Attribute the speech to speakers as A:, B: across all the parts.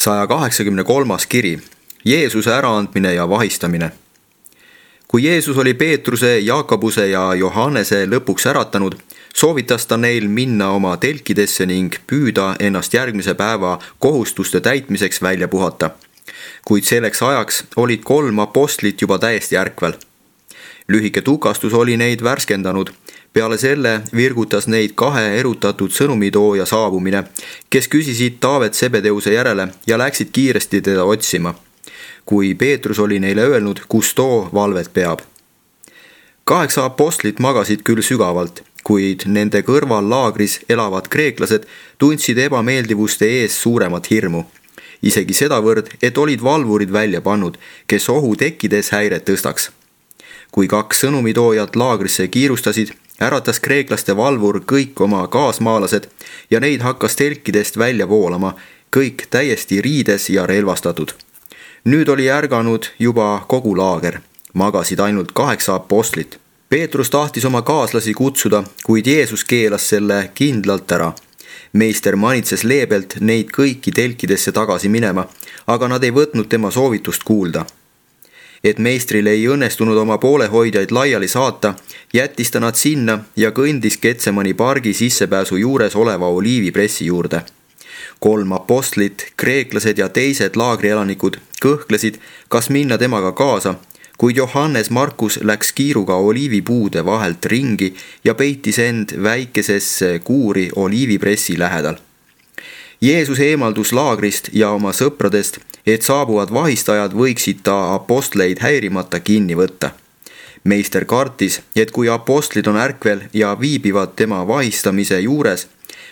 A: 183. kiri, Jeesuse äraandmine ja vahistamine. Kui Jeesus oli Peetruse, Jaakobuse ja Johannese lõpuks äratanud, soovitas ta neil minna oma telkidesse ning püüda ennast järgmise päeva kohustuste täitmiseks välja puhata. Kuid selleks ajaks olid 3 apostlit juba täiesti ärkvel. Lühike tukastus oli neid värskendanud. Peale selle virgutas neid 2 erutatud sõnumitooja saabumine, kes küsisid Taavet Sebedeuse järele ja läksid kiiresti teda otsima, kui Peetrus oli neile öelnud, kus too valvet peab. 8 apostlit magasid küll sügavalt, kuid nende kõrval laagris elavad kreeklased tundsid ebameeldivuste ees suuremat hirmu. Isegi sedavõrd, et olid valvurid välja pannud, kes ohu tekkides häiret tõstaks. Kui 2 sõnumitoojat laagrisse kiirustasid, äratas kreeklaste valvur kõik oma kaasmaalased ja neid hakkas telkidest välja voolama, kõik täiesti riides ja relvastatud. Nüüd oli ärganud juba kogu laager, magasid ainult 8 apostlit. Peetrus tahtis oma kaaslasi kutsuda, kuid Jeesus keelas selle kindlalt ära. Meister manitses leebelt neid kõiki telkidesse tagasi minema, aga nad ei võtnud tema soovitust kuulda. Et meistrile ei õnnestunud oma poolehoidjaid laiali saata, jättis ta nad sinna ja kõndis Getsemani pargi sissepääsu juures oleva oliivipressi juurde. 3 apostlit, kreeklased ja teised laagrielanikud kõhklesid, kas minna temaga kaasa, kuid Johannes Markus läks kiiruga oliivipuude vahelt ringi ja peitis end väikesesse kuuri oliivipressi lähedal. Jeesus eemaldus laagrist ja oma sõpradest, et saabuvad vahistajad võiksid ta apostleid häirimata kinni võtta. Meister kartis, et kui apostlid on ärkvel ja viibivad tema vahistamise juures,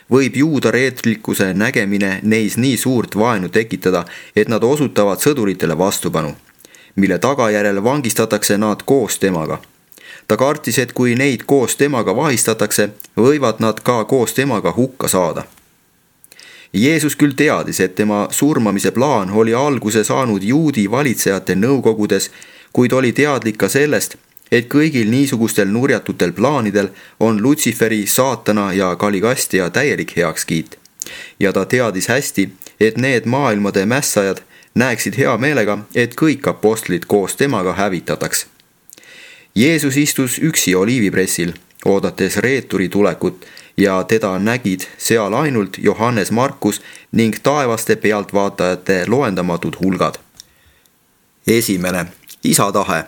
A: võib juuda reetlikkuse nägemine neis nii suurt vaenu tekitada, et nad osutavad sõduritele vastupanu, mille tagajärjel vangistatakse nad koos temaga. Ta kartis, et kui neid koos temaga vahistatakse, võivad nad ka koos temaga hukka saada. Jeesus küll teadis, et tema surmamise plaan oli alguse saanud juudi valitsejate nõukogudes, kuid oli teadlik ka sellest, et kõigil niisugustel nurjatutel plaanidel on Lutsiferi, saatana ja Kaligastja täielik heakskiit. Ja ta teadis hästi, et need maailmade mässajad näeksid hea meelega, et kõik apostlid koos temaga hävitataks. Jeesus istus üksi oliivipressil, oodates reeturi tulekut, ja teda nägid seal ainult Johannes Markus ning taevaste pealtvaatajate loendamatud hulgad. 1. Isa tahe.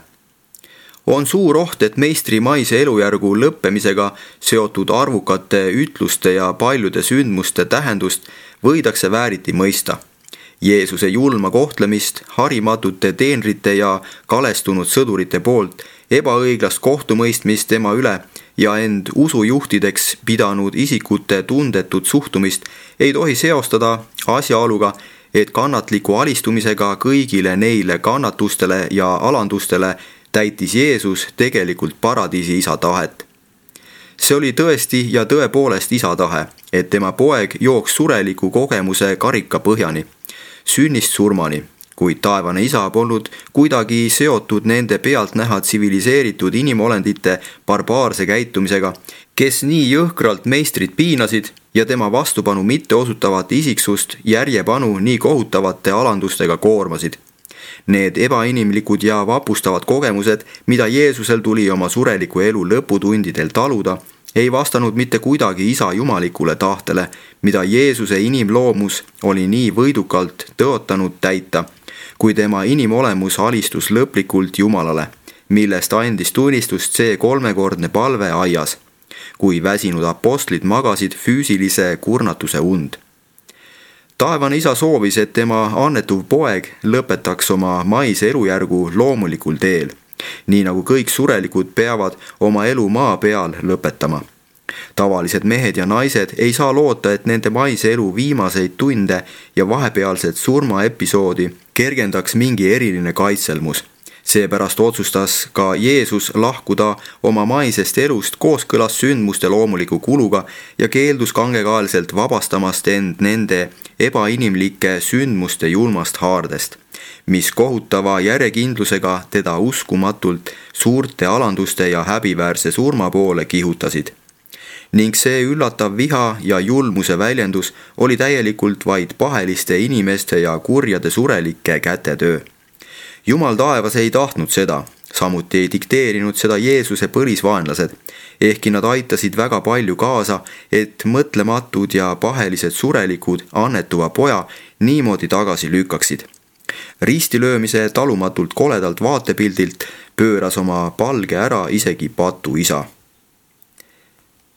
A: On suur oht, et meistri maise elujärgu lõppemisega seotud arvukate ütluste ja paljude sündmuste tähendust võidakse vääriti mõista. Jeesuse julma kohtlemist harimatute teenrite ja kalestunud sõdurite poolt, ebaõiglast kohtumõistmist tema üle ja end usujuhtideks pidanud isikute tundetut suhtumist ei tohi seostada asjaoluga, et kannatliku alistumisega kõigile neile kannatustele ja alandustele täitis Jeesus tegelikult paradiisi isa tahet. See oli tõesti ja tõepoolest isa tahe, et tema poeg jooks sureliku kogemuse karika põhjani, sünnist surmani, kuid taevane isa polnud kuidagi seotud nende pealt näha tsiviliseeritud inimolendite barbaarse käitumisega, kes nii jõhkralt meistrit piinasid ja tema vastupanu mitte osutavat isiksust järjepanu nii kohutavate alandustega koormasid. Need ebainimlikud ja vapustavad kogemused, mida Jeesusel tuli oma sureliku elu lõputundidel taluda, ei vastanud mitte kuidagi isa jumalikule tahtele, mida Jeesuse inimloomus oli nii võidukalt tõotanud täita, kui tema inimolemus alistus lõplikult Jumalale, millest andis tunnistust see 3-kordne palve aias, kui väsinud apostlid magasid füüsilise kurnatuse und. Taevane isa soovis, et tema annetuv poeg lõpetaks oma maise elujärgu loomulikul teel, nii nagu kõik surelikud peavad oma elu maa peal lõpetama. Tavalised mehed ja naised ei saa loota, et nende maise elu viimaseid tunde ja vahepealset surmaepisoodi kergendaks mingi eriline kaitselmus. Seepärast otsustas ka Jeesus lahkuda oma maisest elust kooskõlas sündmuste loomuliku kuluga ja keeldus kangekaelselt vabastamast end nende ebainimlike sündmuste julmast haardest, mis kohutava järjekindlusega teda uskumatult suurte alanduste ja häbiväärse surma poole kihutasid. ning see üllatav viha ja julmuse väljendus oli täielikult vaid paheliste inimeste ja kurjade surelike kätetöö. Jumal taevas ei tahtnud seda, samuti ei dikteerinud seda Jeesuse põlisvaenlased, ehkki nad aitasid väga palju kaasa, et mõtlematud ja pahelised surelikud annetuva poja niimoodi tagasi lükkaksid. Ristilöömise talumatult koledalt vaatepildilt pööras oma palge ära isegi patu isa.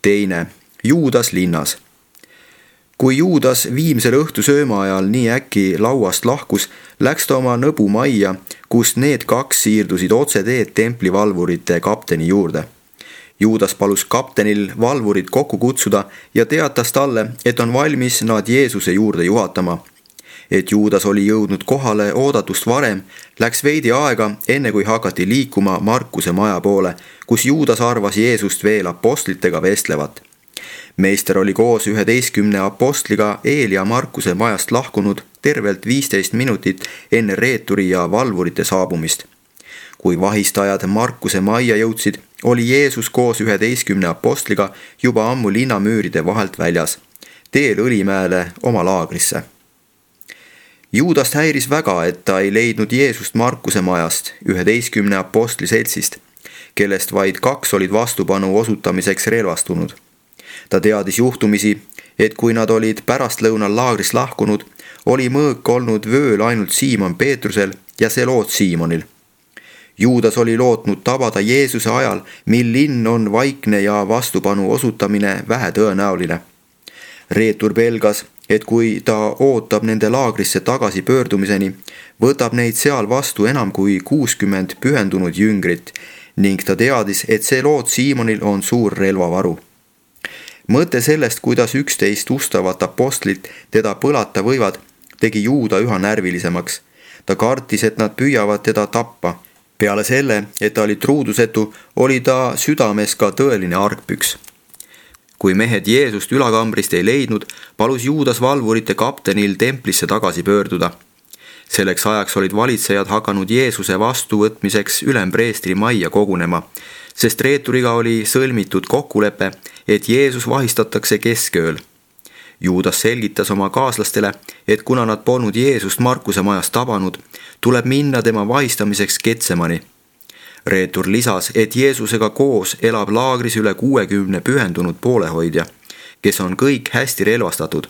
A: Teine, Juudas linnas. Kui Juudas viimsel õhtusööma ajal nii äkki lauast lahkus, läks ta oma nõbu majja, kus need kaks siirdusid otseteed templivalvurite kapteni juurde. Juudas palus kaptenil valvurid kokku kutsuda ja teatas talle, et on valmis nad Jeesuse juurde juhatama. Et Juudas oli jõudnud kohale oodatust varem, läks veidi aega, enne kui hakati liikuma Markuse maja poole, kus Juudas arvas Jeesust veel apostlitega vestlevat. Meister oli koos 11 apostliga Eelia Markuse majast lahkunud tervelt 15 minutit enne reeturi ja valvurite saabumist. Kui vahistajad Markuse majja jõudsid, oli Jeesus koos 11 apostliga juba ammu linnamüüride vahelt väljas, teel Õlimäele oma laagrisse. Juudast häiris väga, et ta ei leidnud Jeesust Markuse majast, 11 apostli seltsist, kellest vaid 2 olid vastupanu osutamiseks relvastunud. Ta teadis juhtumisi, et kui nad olid pärastlõunal laagrist lahkunud, oli mõõk olnud vööl ainult Siimon Peetrusel ja Seloot Siimonil. Juudas oli lootnud tabada Jeesuse ajal, mil linn on vaikne ja vastupanu osutamine vähetõenäoline. Reetur pelgas, et kui ta ootab nende laagrisse tagasi pöördumiseni, võtab neid seal vastu enam kui 60 pühendunud jüngrit ning ta teadis, et Seloot Siimonil on suur relvavaru. Mõte sellest, kuidas 11 ustavat apostlit teda põlata võivad, tegi Juuda üha närvilisemaks. Ta kartis, et nad püüavad teda tappa. Peale selle, et ta oli truudusetu, oli ta südames ka tõeline argpüks. Kui mehed Jeesust ülakambrist ei leidnud, palus Juudas valvurite kaptenil templisse tagasi pöörduda. Selleks ajaks olid valitsejad hakanud Jeesuse vastuvõtmiseks ülempreestri majja kogunema, sest reeturiga oli sõlmitud kokkulepe, et Jeesus vahistatakse keskööl. Juudas selgitas oma kaaslastele, et kuna nad polnud Jeesust Markuse majas tabanud, tuleb minna tema vahistamiseks Getsemani. Reetur lisas, et Jeesusega koos elab laagris üle 60 pühendunud poolehoidja, kes on kõik hästi relvastatud.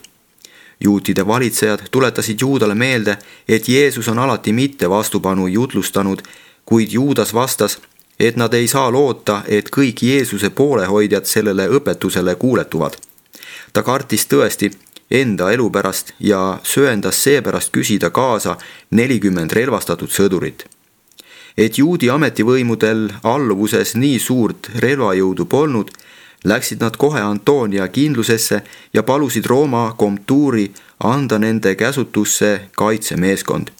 A: Juutide valitsejad tuletasid Juudale meelde, et Jeesus on alati mitte vastupanu jutlustanud, kuid Juudas vastas, et nad ei saa loota, et kõik Jeesuse poolehoidjad sellele õpetusele kuuletuvad. Ta kartis tõesti enda elu pärast ja sööndas seepärast küsida kaasa 40 relvastatud sõdurit. Et juudi ametivõimudel alluvuses nii suurt relvajõudu polnud, läksid nad kohe Antonia kindlusesse ja palusid Rooma komtuuri anda nende käsutusse kaitsemeeskond.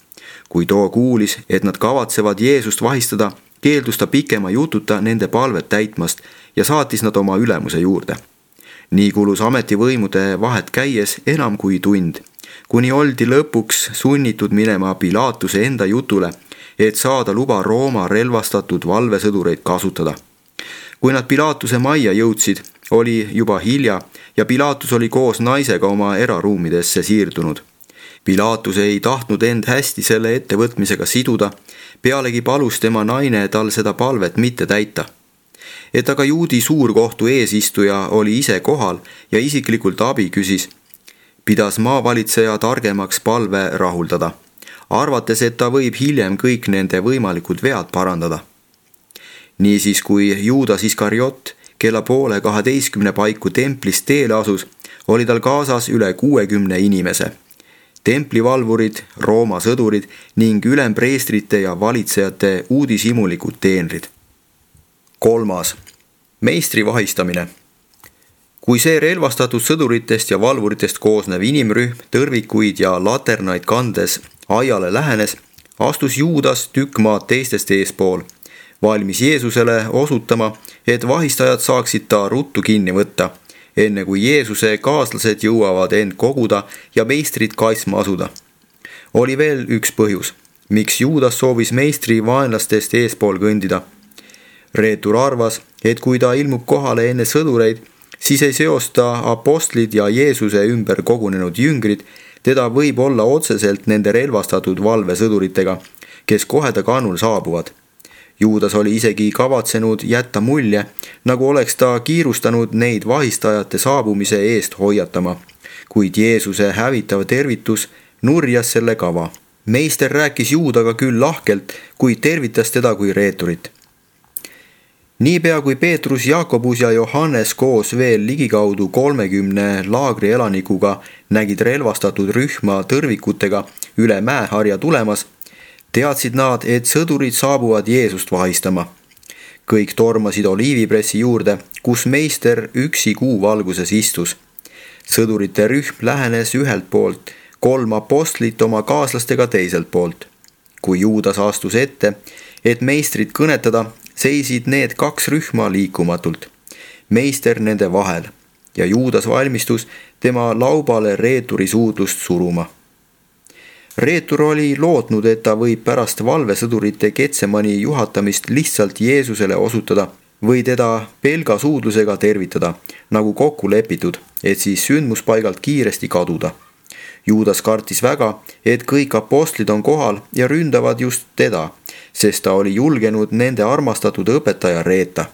A: Kui too kuulis, et nad kavatsevad Jeesust vahistada, keeldus ta pikema jututa nende palvet täitmast ja saatis nad oma ülemuse juurde. Nii kulus ametivõimude vahet käies enam kui tund, kuni oldi lõpuks sunnitud minema Pilaatuse enda jutule, et saada luba Rooma relvastatud valvesõdureid kasutada. Kui nad Pilaatuse majja jõudsid, oli juba hilja ja Pilaatus oli koos naisega oma eraruumidesse siirdunud. Pilaatus ei tahtnud end hästi selle ettevõtmisega siduda, pealegi palus tema naine tal seda palvet mitte täita. Et aga juudi suurkohtu eesistuja oli ise kohal ja isiklikult abi küsis, pidas maavalitseja targemaks palve rahuldada, arvates, et ta võib hiljem kõik nende võimalikud vead parandada. Niisiis, kui Juudas Iskariot kella 11:30 paiku templist teele asus, oli tal kaasas üle 60 inimese. Templivalvurid, Rooma sõdurid ning ülempreestrite ja valitsejate uudishimulikud teenrid. 3. Meistri vahistamine. Kui see relvastatud sõduritest ja valvuritest koosnev inimrühm tõrvikuid ja laternaid kandes aiale lähenes, astus Juudas tükk maad teistest eespool, valmis Jeesusele osutama, et vahistajad saaksid ta ruttu kinni võtta, enne kui Jeesuse kaaslased jõuavad end koguda ja meistrit kaitsma asuda. Oli veel üks põhjus, miks Juudas soovis meistri vaenlastest eespool kõndida. Reetur arvas, et kui ta ilmub kohale enne sõdureid, siis ei seosta apostlid ja Jeesuse ümber kogunenud jüngrid teda võib-olla otseselt nende relvastatud valvesõduritega, kes kohe ta kannul saabuvad. Juudas oli isegi kavatsenud jätta mulje, nagu oleks ta kiirustanud neid vahistajate saabumise eest hoiatama, kuid Jeesuse hävitav tervitus nurjas selle kava. Meister rääkis Juudaga küll lahkelt, kuid tervitas teda kui reeturit. Niipea kui Peetrus, Jaakobus ja Johannes koos veel ligikaudu 30 laagri elanikuga nägid relvastatud rühma tõrvikutega üle mäeharja tulemas, teadsid nad, et sõdurid saabuvad Jeesust vahistama. Kõik tormasid oliivipressi juurde, kus meister üksi kuu valguses istus. Sõdurite rühm lähenes ühelt poolt, 3 apostlit oma kaaslastega teiselt poolt. Kui Juudas astus ette, et meistrit kõnetada, seisid need 2 rühma liikumatult, meister nende vahel, ja Juudas valmistus tema laubale reeturi suudlust suruma. Reetur oli lootnud, et ta võib pärast valvesõdurite Getsemani juhatamist lihtsalt Jeesusele osutada või teda pelgasuudlusega tervitada, nagu kokku lepitud, et siis sündmuspaigalt kiiresti kaduda. Juudas kartis väga, et kõik apostlid on kohal ja ründavad just teda, sest ta oli julgenud nende armastatud õpetaja reeta.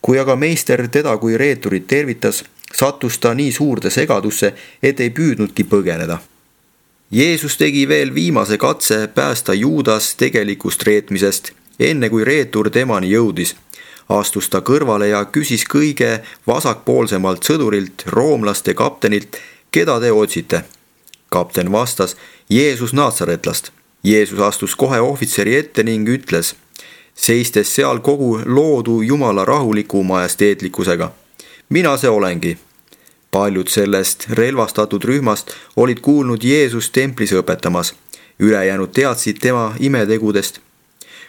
A: Kui aga meister teda kui reeturit tervitas, sattus ta nii suurde segadusse, et ei püüdnudki põgeneda. Jeesus tegi veel viimase katse päästa Juudas tegelikust reetmisest, enne kui reetur temani jõudis. Astus ta kõrvale ja küsis kõige vasakpoolsemalt sõdurilt, roomlaste kaptenilt, keda te otsite. Kapten vastas, Jeesus Naatsaretlast. Jeesus astus kohe ohvitseri ette ning ütles, seistes seal kogu loodu Jumala rahuliku majesteetlikkusega. Mina see olengi. Paljud sellest relvastatud rühmast olid kuulnud Jeesus templis õpetamas. Ülejäänud teadsid tema imetegudest.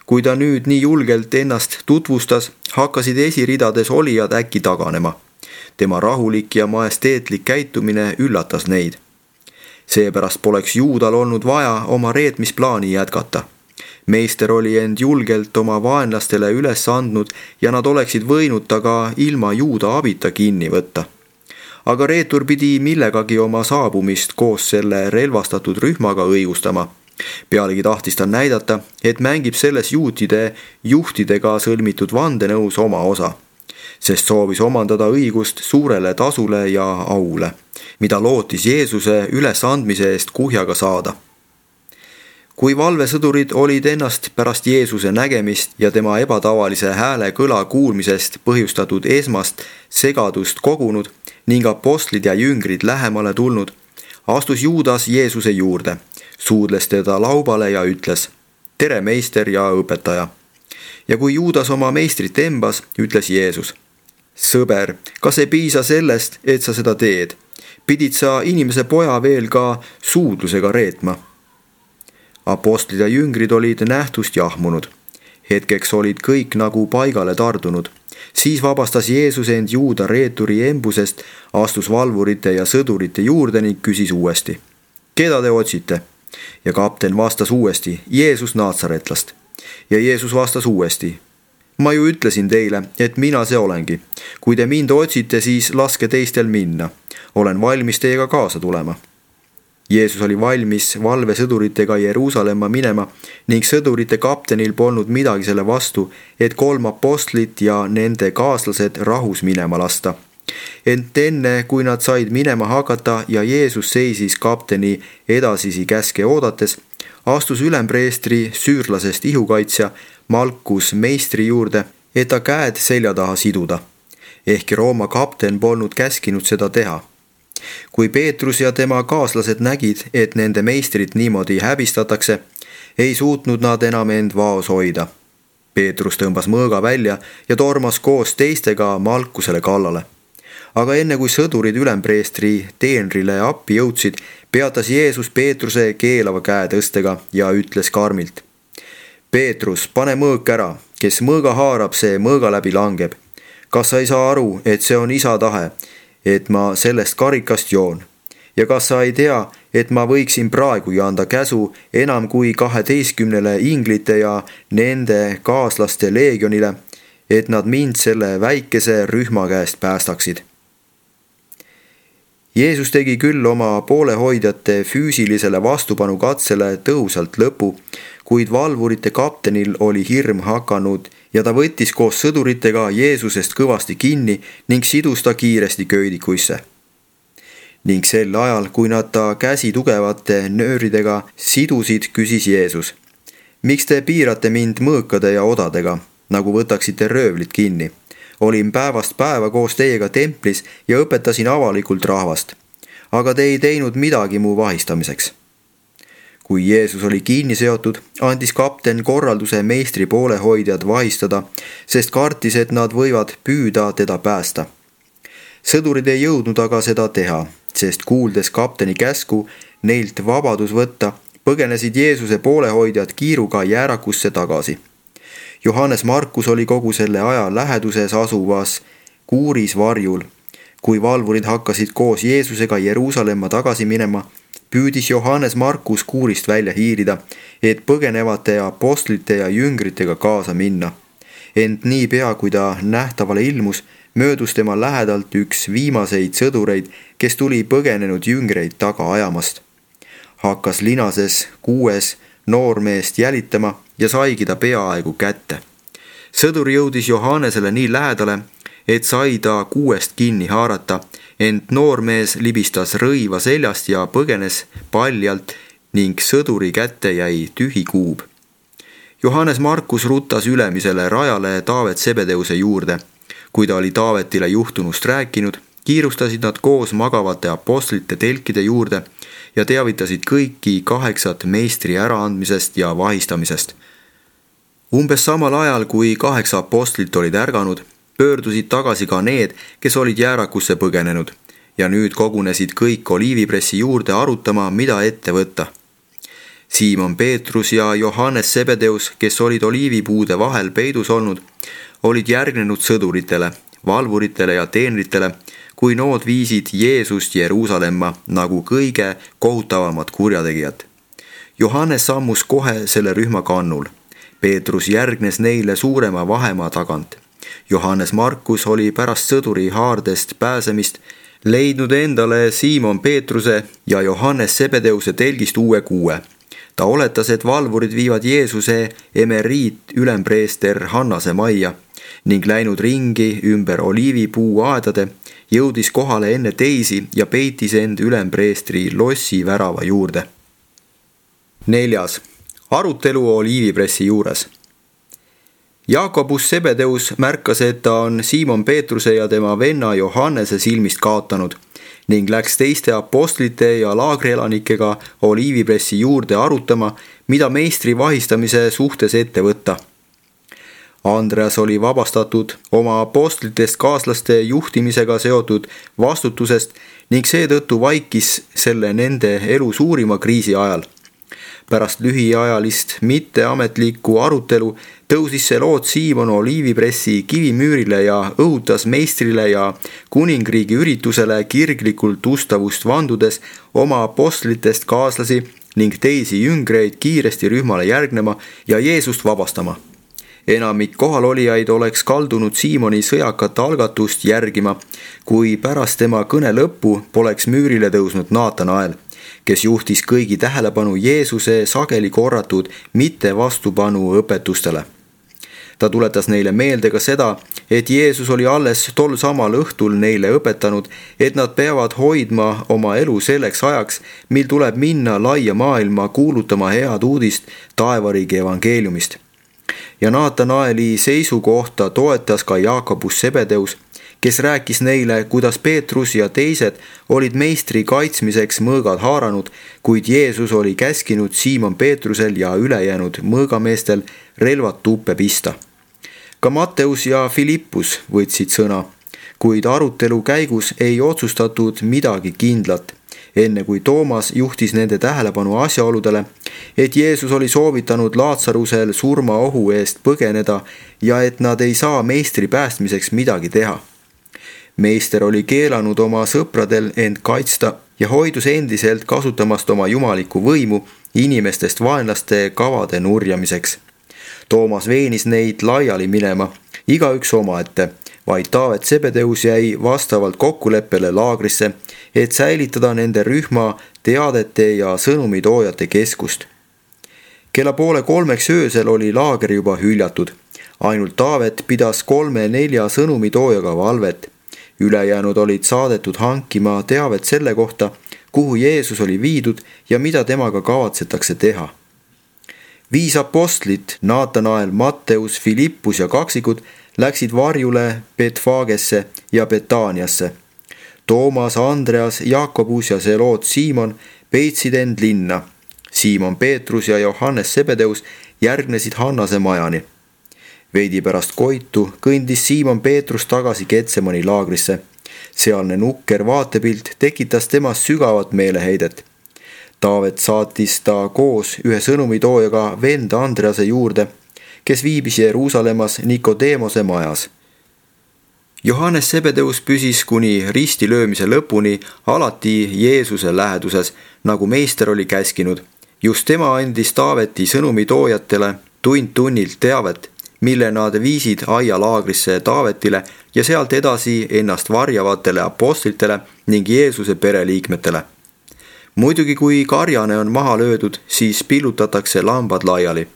A: Kui ta nüüd nii julgelt ennast tutvustas, hakkasid esiridades olijad äkki taganema. Tema rahulik ja majesteetlik käitumine üllatas neid. Seepärast poleks Juudal olnud vaja oma reetmisplaani jätkata. Meister oli end julgelt oma vaenlastele üles andnud ja nad oleksid võinud ta ka ilma Juuda abita kinni võtta. Aga reetur pidi millegagi oma saabumist koos selle relvastatud rühmaga õigustama. Pealegi tahtis ta näidata, et mängib selles juutide juhtidega sõlmitud vandenõus oma osa, sest soovis omandada õigust suurele tasule ja aule, mida lootis Jeesuse ülesandmise eest kuhjaga saada. Kui valvesõdurid olid ennast pärast Jeesuse nägemist ja tema ebatavalise hääle kõla kuulmisest põhjustatud esmast segadust kogunud ning apostlid ja jüngrid lähemale tulnud, astus Juudas Jeesuse juurde, suudles teda laubale ja ütles, tere meister ja õpetaja. Ja kui Juudas oma meistrit embas, ütles Jeesus, sõber, kas ei piisa sellest, et sa seda teed? Pidid sa inimese poja veel ka suudlusega reetma? Apostlid ja jüngrid olid nähtust jahmunud. Hetkeks olid kõik nagu paigale tardunud. Siis vabastas Jeesus end Juuda reeturi embusest, astus valvurite ja sõdurite juurde ning küsis uuesti, keda te otsite? Ja kapten vastas uuesti, Jeesus Naatsaretlast. Ja Jeesus vastas uuesti, ma ju ütlesin teile, et mina see olengi. Kui te mind otsite, siis laske teistel minna. Olen valmis teiega kaasa tulema. Jeesus oli valmis valvesõduritega Jeruusalemma minema ning sõdurite kaptenil polnud midagi selle vastu, et 3 apostlit ja nende kaaslased rahus minema lasta. Ent enne, kui nad said minema hakata ja Jeesus seisis kapteni edasisi käske oodates, astus ülempreestri süürlasest ihukaitsja Malkus meistri juurde, et ta käed selja taha siduda. Ehkki Rooma kapten polnud käskinud seda teha. Kui Peetrus ja tema kaaslased nägid, et nende meistrit niimoodi häbistatakse, ei suutnud nad enam end vaos hoida. Peetrus tõmbas mõõga välja ja tormas koos teistega Malkusele kallale. Aga enne kui sõdurid ülempreestri teenrile appi jõudsid, peatas Jeesus Peetruse keelava käe tõstega ja ütles karmilt, Peetrus, pane mõõk ära, kes mõõga haarab, see mõõga läbi langeb. Kas sa ei saa aru, et see on Isa tahe, et ma sellest karikast joon? Ja kas sa ei tea, et ma võiksin praegugi anda käsu enam kui 12 inglite ja nende kaaslaste leegionile, et nad mind selle väikese rühma käest päästaksid? Jeesus tegi küll oma poolehoidjate füüsilisele vastupanukatsele tõhusalt lõpu, kuid valvurite kaptenil oli hirm hakanud ja ta võttis koos sõduritega Jeesusest kõvasti kinni ning sidus ta kiiresti köidikuisse. Ning sel ajal, kui nad ta käsi tugevate nööridega sidusid, küsis Jeesus: miks te piirate mind mõõkade ja odadega, nagu võtaksite röövlit kinni? Olin päevast päeva koos teiega templis ja õpetasin avalikult rahvast, aga te ei teinud midagi mu vahistamiseks. Kui Jeesus oli kinni seotud, andis kapten korralduse meistri poolehoidjad vahistada, sest kartis, et nad võivad püüda teda päästa. Sõdurid ei jõudnud aga seda teha, sest kuuldes kapteni käsku neilt vabadus võtta, põgenesid Jeesuse poolehoidjad kiiruga jäärakusse tagasi. Johannes Markus oli kogu selle aja läheduses asuvas kuuris varjul. Kui valvurid hakkasid koos Jeesusega Jeruusalemma tagasi minema, püüdis Johannes Markus kuurist välja hiilida, et põgenevate apostlite ja jüngritega kaasa minna. Ent niipea, kui ta nähtavale ilmus, möödus tema lähedalt üks viimaseid sõdureid, kes tuli põgenenud jüngreid taga ajamast. Hakkas linases 6 noormeest jälitama ja saigi ta peaaegu kätte. Sõdur jõudis Johannesele nii lähedale, et sai ta 6 kinni haarata, ent noormees libistas rõiva seljast ja põgenes paljalt ning sõduri kätte jäi tühi kuub. Johannes Markus rutas ülemisele rajale Taavet Sebedeuse juurde. Kui ta oli Taavetile juhtunust rääkinud, kiirustasid nad koos magavate apostlite telkide juurde ja teavitasid kõiki 8 meistri äraandmisest ja vahistamisest. Umbes samal ajal, kui 8 apostlit olid ärganud, pöördusid tagasi ka need, kes olid jäärakusse põgenenud, ja nüüd kogunesid kõik Oliivipressi juurde arutama, mida ette võtta. Siimon Peetrus ja Johannes Sebedeus, kes olid oliivipuude vahel peidus olnud, olid järgnenud sõduritele, valvuritele ja teenritele, kui nood viisid Jeesust Jeruusalemma nagu kõige kohutavamat kurjategijat. Johannes sammus kohe selle rühma kannul. Peetrus järgnes neile suurema vahemaa tagant. Johannes Markus oli pärast sõduri haardest pääsemist leidnud endale Siimon Peetruse ja Johannes Sebedeuse telgist uue kuue. Ta oletas, et valvurid viivad Jeesuse emeriit ülempreester Hannase majja ning läinud ringi ümber oliivipuu aedade, jõudis kohale enne teisi ja peitis end ülempreestri lossi värava juurde. 4. Arutelu Oliivipressi juures. Jaakobus Sebedeus märkas, et ta on Siimon Peetruse ja tema venna Johannese silmist kaotanud ning läks teiste apostlite ja laagrielanikega Oliivipressi juurde arutama, mida meistri vahistamise suhtes ette võtta. Andreas oli vabastatud oma apostlitest kaaslaste juhtimisega seotud vastutusest ning seetõttu vaikis selle nende elu suurima kriisi ajal. Pärast lühiajalist mitteametlikku arutelu tõusis see lood Siimon Oliivipressi kivimüürile ja õhutas meistrile ja kuningriigi üritusele kirglikult ustavust vandudes oma apostlitest kaaslasi ning teisi jüngreid kiiresti rühmale järgnema ja Jeesust vabastama. Enamik kohalolijaid oleks kaldunud Siimoni sõjakat algatust järgima, kui pärast tema kõne lõppu poleks müürile tõusnud Naatanael, kes juhtis kõigi tähelepanu Jeesuse sageli korratud mitte vastupanu õpetustele. Ta tuletas neile meelde ka seda, et Jeesus oli alles tol samal õhtul neile õpetanud, et nad peavad hoidma oma elu selleks ajaks, mil tuleb minna laia maailma kuulutama head uudist taevariigi evangeeliumist. Ja Naatanaeli seisukohta toetas ka Jaakobus Sebedeus, kes rääkis neile, kuidas Peetrus ja teised olid meistri kaitsmiseks mõõgad haaranud, kuid Jeesus oli käskinud Siimon Peetrusel ja ülejäänud mõõgameestel relvad tuppe pista. Ka Matteus ja Filippus võtsid sõna, kuid arutelu käigus ei otsustatud midagi kindlat, enne kui Toomas juhtis nende tähelepanu asjaoludele, et Jeesus oli soovitanud Laatsarusel surmaohu eest põgeneda ja et nad ei saa meistri päästmiseks midagi teha. Meister oli keelanud oma sõpradel end kaitsta ja hoidus endiselt kasutamast oma jumalikku võimu inimestest vaenlaste kavade nurjamiseks. Toomas veenis neid laiali minema, igaüks omaette, vaid Taavet Zebedeus jäi vastavalt kokkuleppele laagrisse, et säilitada nende rühma teadete ja sõnumitoojate keskust. Kella 2:30 öösel oli laager juba hüljatud. Ainult Taavet pidas 3-4 sõnumitoojaga valvet. Ülejäänud olid saadetud hankima teavet selle kohta, kuhu Jeesus oli viidud ja mida temaga kavatsetakse teha. 5 apostlit, Naatanael, Matteus, Filippus ja kaksikud, läksid varjule Betfagesse ja Betaaniasse. Toomas, Andreas, Jaakobus ja Zeloot Siimon peitsid end linna. Siimon Peetrus ja Johannes Zebedeus järgnesid Hannase majani. Veidi pärast koitu kõndis Siimon Peetrus tagasi Getsemani laagrisse. Sealne nukker vaatepilt tekitas temas sügavat meeleheidet. Taavet saatis ta koos ühe sõnumitoojaga vend Andrease juurde, kes viibis Jeruusalemmas Nikodeemose majas. Johannes Zebedeus püsis kuni ristilöömise lõpuni alati Jeesuse läheduses, nagu meister oli käskinud. Just tema andis Taaveti sõnumitoojatele tund-tunnilt teavet, mille nad viisid aialaagrisse Taavetile ja sealt edasi ennast varjavatele apostlitele ning Jeesuse pereliikmetele. Muidugi, kui karjane on maha löödud, siis pillutatakse lambad laiali.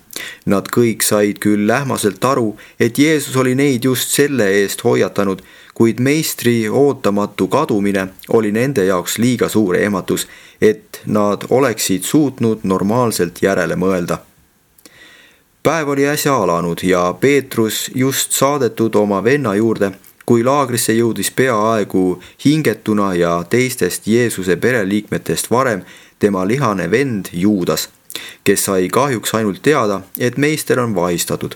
A: Nad kõik said küll lähmaselt aru, et Jeesus oli neid just selle eest hoiatanud, kuid meistri ootamatu kadumine oli nende jaoks liiga suur ehmatus, et nad oleksid suutnud normaalselt järele mõelda. Päev oli äsja alanud ja Peetrus just saadetud oma venna juurde, kui laagrisse jõudis peaaegu hingetuna ja teistest Jeesuse pereliikmetest varem tema lihane vend Juudas, kes sai kahjuks ainult teada, et meister on vahistatud.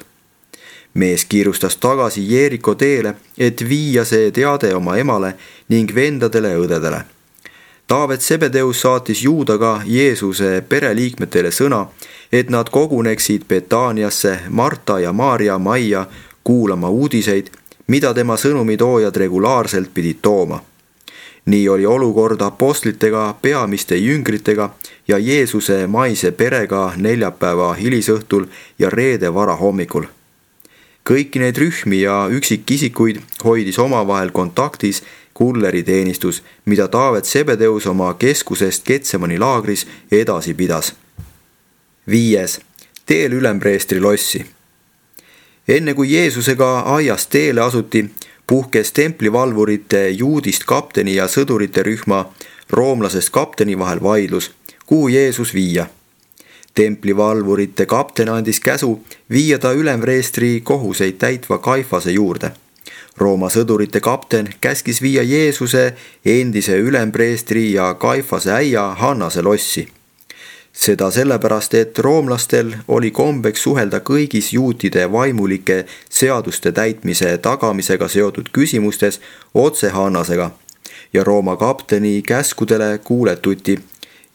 A: Mees kiirustas tagasi Jeeriko teele, et viia see teade oma emale ning vendadele ja õdedele. Taavet Zebedeus saatis Juudaga Jeesuse pereliikmetele sõna, et nad koguneksid Betaaniasse Marta ja Maarja majja kuulama uudiseid, mida tema sõnumitoojad regulaarselt pidid tooma. Nii oli olukord apostlitega, peamiste jüngritega ja Jeesuse maise perega neljapäeva hilisõhtul ja reede varahommikul. Kõiki neid rühmi ja üksikisikuid hoidis omavahel kontaktis kulleriteenistus, mida Taavet Zebedeus oma keskusest Getsemani laagris edasi pidas. 5. Teel ülempreestri lossi. Enne kui Jeesusega aiast teele asuti, puhkes templivalvurite juudist kapteni ja sõdurite rühma roomlasest kapteni vahel vaidlus, kuhu Jeesus viia. Templivalvurite kapten andis käsu viia ta ülempreestri kohuseid täitva Kaifase juurde. Rooma sõdurite kapten käskis viia Jeesuse endise ülempreestri ja Kaifase äia Hannase lossi. Seda sellepärast, et roomlastel oli kombeks suhelda kõigis juutide vaimulike seaduste täitmise tagamisega seotud küsimustes otse Hannasega ja Rooma kapteni käskudele kuuletuti.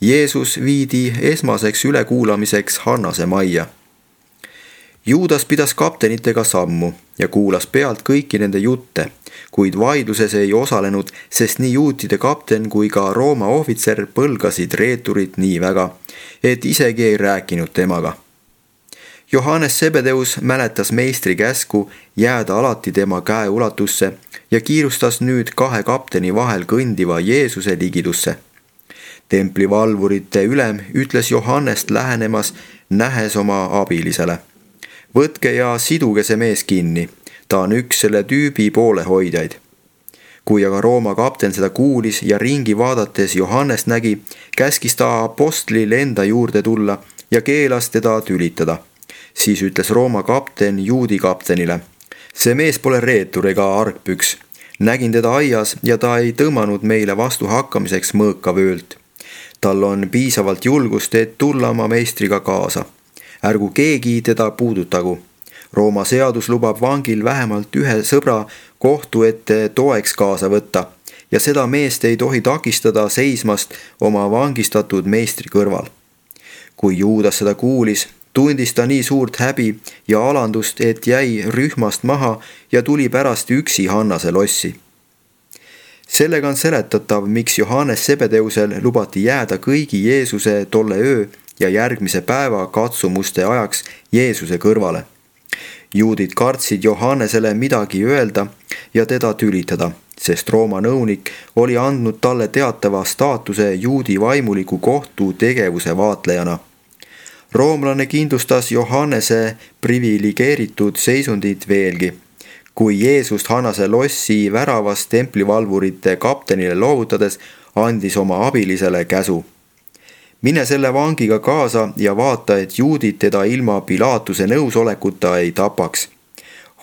A: Jeesus viidi esmaseks ülekuulamiseks Hannase majja. Juudas pidas kaptenitega sammu ja kuulas pealt kõiki nende jutte, kuid vaidluses ei osalenud, sest nii juutide kapten kui ka Rooma ohvitser põlgasid reeturit nii väga, et isegi ei rääkinud temaga. Johannes Zebedeus mäletas meistri käsku jääda alati tema käeulatusse ja kiirustas nüüd 2 kapteni vahel kõndiva Jeesuse ligidusse. Templivalvurite ülem ütles Johannest lähenemas, nähes oma abilisele. Võtke ja siduge see mees kinni, ta on üks selle tüübi poolehoidjaid. Kui aga Rooma kapten seda kuulis ja ringi vaadates Johannest nägi, käskis ta apostlil enda juurde tulla ja keelas teda tülitada. Siis ütles Rooma kapten juudi kaptenile: see mees pole reetur ega argpüks. Nägin teda aias ja ta ei tõmmanud meile vastu hakkamiseks mõõkavöölt. Tal on piisavalt julgust, et tulla oma meistriga kaasa. Ärgu keegi teda puudutagu. Rooma seadus lubab vangil vähemalt ühe sõbra kohtu ette toeks kaasa võtta ja seda meest ei tohi takistada seismast oma vangistatud meistri kõrval. Kui Juudas seda kuulis, tundis ta nii suurt häbi ja alandust, et jäi rühmast maha ja tuli pärast üksi Hannase lossi. Sellega on seletatav, miks Johannes Zebedeusel lubati jääda kõigi Jeesuse tolle öö ja järgmise päeva katsumuste ajaks Jeesuse kõrvale. juudid kartsid Johannesele midagi öelda ja teda tülitada, sest Rooma nõunik oli andnud talle teatava staatuse juudi vaimuliku kohtu tegevuse vaatlejana. Roomlane kindlustas Johannese priviligeeritud seisundit veelgi. Kui Jeesust Hanase lossi väravast templivalvurite kaptenile loovutades, andis oma abilisele käsu. Mine selle vangiga kaasa ja vaata, et juudid teda ilma Pilaatuse nõusolekuta ei tapaks.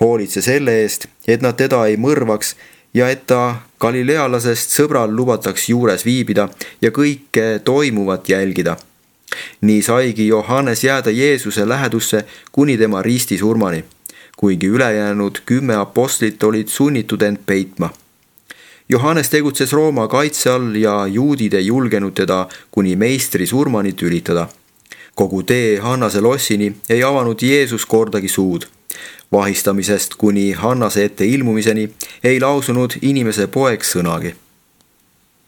A: Hoolitse selle eest, et nad teda ei mõrvaks ja et ta galilealasest sõbral lubataks juures viibida ja kõike toimuvat jälgida. Nii saigi Johannes jääda Jeesuse lähedusse kuni tema ristisurmani, kuigi ülejäänud 10 apostlit olid sunnitud end peitma. Johannes tegutses Rooma kaitse all ja juudid ei julgenud teda kuni meistri surmani tülitada. Kogu tee Hannase lossini ei avanud Jeesus kordagi suud. Vahistamisest kuni Hannase ette ilmumiseni ei lausunud inimese poeg sõnagi.